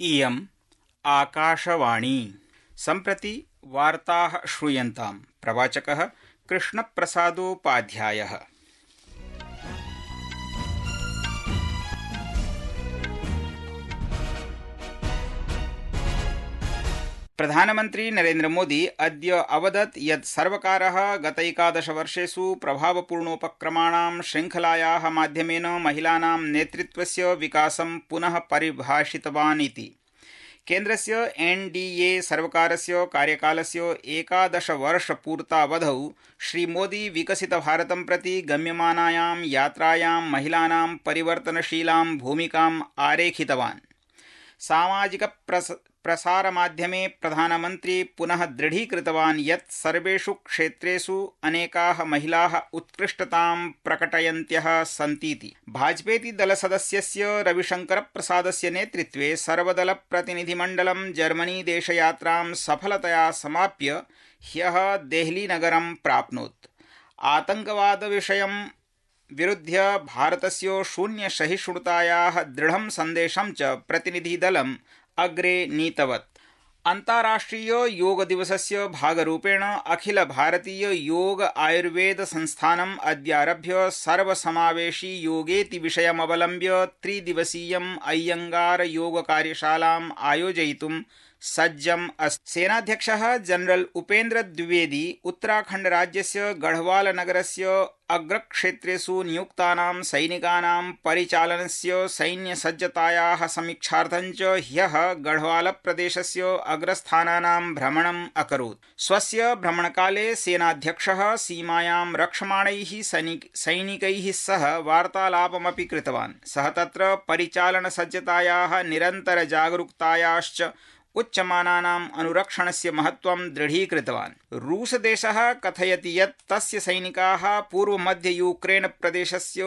इयम् आकाशवाणी। सम्प्रति वार्ताः श्रूयन्ताम्। प्रवाचकः कृष्णप्रसादोपाध्यायः। प्रधानमन्त्री नरेन्द्र मोदी अद्य अवदत् यत् सर्वकारः गत 11 वर्षेषु प्रभावपूर्णोपक्रमाणां श्रृङ्खलायाः माध्यमेन महिलानां नेतृत्वस्य विकासं पुनः परिभाषितवान् इति। केन्द्रस्य एनडीए सर्वकारस्य कार्यकालस्य 11 वर्षपूर्तावधौ श्रीमोदी विकसितभारतं प्रति गम्यमानायां यात्रायां महिलानां परिवर्तनशीलां भूमिकाम् आरेखितवान्। सामाजिक प्रसारमाध्यमे प्रधानमन्त्री पुनः दृढीकृतवान् यत् सर्वेषु क्षेत्रेषु अनेकाः महिलाः उत्कृष्टतां प्रकटयन्त्यः सन्तीति। भाजपेति दलसदस्यस्य रविशंकरप्रसादस्य नेतृत्वे सर्वदलप्रतिनिधिमण्डलं जर्मनी देशयात्रां सफलतया समाप्य ह्यः देहलीनगरं प्राप्नोत्। आतंकवादविषयं विरुध्य भारतस्य शून्यसहिष्णुतायाः दृढं सन्देशं च प्रतिनिधिदलम् अग्रे नीतवत्। अन्ताराष्ट्रिय योग दिवसस्य भागरूपेण अखिल भारतीय योग आयुर्वेद संस्थानम् अद्यारभ्य सर्वसमावेशी योगेति विषयमवलम्ब्य 3 दिवसीयम् अय्यंगार योग कार्यशालाम् आयोजयितुं सज्जम् अस्ति। सेनाध्यक्षः जनरल उपेन्द्र द्विवेदी उत्तराखण्ड राज्यस्य गढ़वाल नगरस्य अग्रक्षेत्रेषु नियुक्तानां सैनिकानां परिचालनस्य सैन्यसज्जतायाः समीक्षार्थं च ह्यः गढ़वाल प्रदेशस्य अग्रस्थानानां भ्रमणम् अकरोत्। स्वस्य भ्रमणकाले सेनाध्यक्षः सीमायां रक्षमाणैः सैनिकैः सह वार्तालापमपि कृतवान्। सः तत्र परिचालनसज्जतायाः निरन्तरजागरूकतायाश्च उच्यमानानाम् अनुरक्षणस्य महत्त्वं दृढीकृतवान्। रूसदेशः कथयति यत् तस्य सैनिकाः पूर्वमध्य यूक्रेन प्रदेशस्य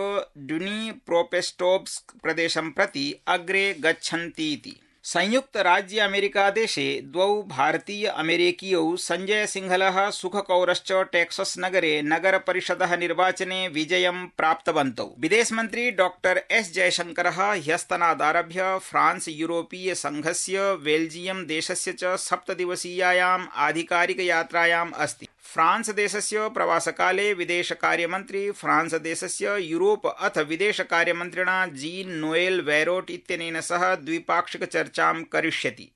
ड्निप्रोपेट्रोव्स्क प्रदेशं प्रति अग्रे गच्छन्तीति। संयुक्त राज्य अमेरिका देशे 2 भारतीय अमेरिकीयौ संजय सिंहलः सुखकौरश्च टेक्सस नगरे नगर परिषदः निर्वाचने विजयं प्राप्तवन्तौ। विदेशमन्त्री डॉक्टर एस जयशंकरः ह्यस्तनादारभ्य फ्रांस यूरोपीय संघस्य बेल्जियम देशस्य च 7 दिवसीयायाम् आधिकारिक यात्रायाम् अस्ति। फ्रांस देशस्य प्रवासकाले विदेशकार्यमन्त्री फ्रांस देशस्य यूरोप अथ विदेशकार्यमन्त्रिणा जीन नोएल वैरोट इत्यनेन सह द्विपाक्षिक चर्चां करिष्यति।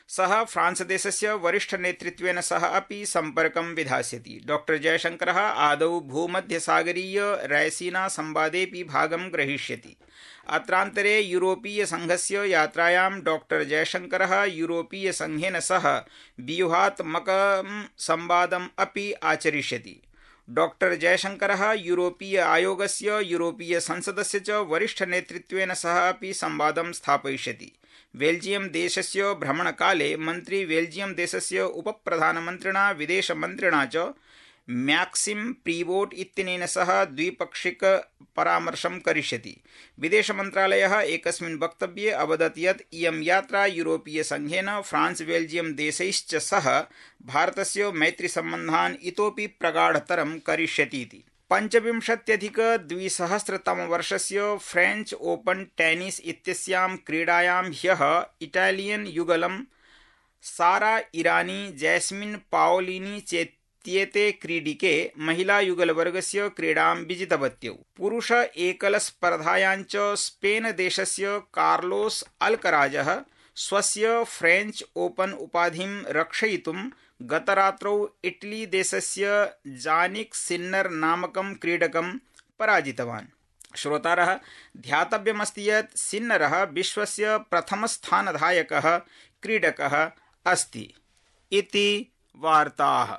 सः फ्रांस देशस्य वरिष्ठ नेतृत्वेन सह अपि सम्पर्कं विधास्यति। डॉक्टर जयशंकरः आदौ भूमध्यसागरीय रैसीना संवादेपि भागं ग्रहीष्यति। अत्रान्तरे यूरोपीय संघस्य यात्रायां डॉक्टर जयशंकरः यूरोपीय संघेन सह व्यूहात्मकं संवादम् अपि आचरिष्यति। डॉक्टर जयशंकरः यूरोपीय आयोगस्य यूरोपीय संसदस्य च वरिष्ठ नेतृत्वेन सह अपि संवादं स्थापयिष्यति। बेल्जियम देशस्य भ्रमणकाले मन्त्री बेल्जियम देशस्य उपप्रधानमन्त्रिणा विदेशमन्त्रिणा च मैक्सिम प्रीवोट इत्यनेन सह द्विपाक्षिक परामर्शं करिष्यति। विदेशमन्त्रालयः एकस्मिन् वक्तव्ये अवदत् यत् इयं यात्रा यूरोपीय संघेन फ्रांस बेल्जियम देशैश्च सह भारतस्य मैत्रीसम्बन्धान् इतोपि प्रगाढतरं करिष्यति इति। 25,200 फ्रेंच ओपन टेनिस इत्यस्यां क्रीडायां ह्यः इटालियन युगलं सारा इरानी जैस्मिन पाओलिनी चेत्येते क्रीडिके महिला युगलवर्गस्य क्रीडां विजितवत्यौ। पुरुष एकल स्पर्धायां च स्पेन देशस्य कार्लोस अल्कराजः स्वस्य फ्रेंच ओपन उपाधिं रक्षयितुं गतरात्रौ इटली देशस्य जानिक सिन्नर नामकं क्रीडकं पराजितवान्। श्रोतारः, ध्यातव्यमस्ति यत् सिन्नरः विश्वस्य प्रथमस्थानधायकः क्रीडकः अस्ति। इति वार्ताः।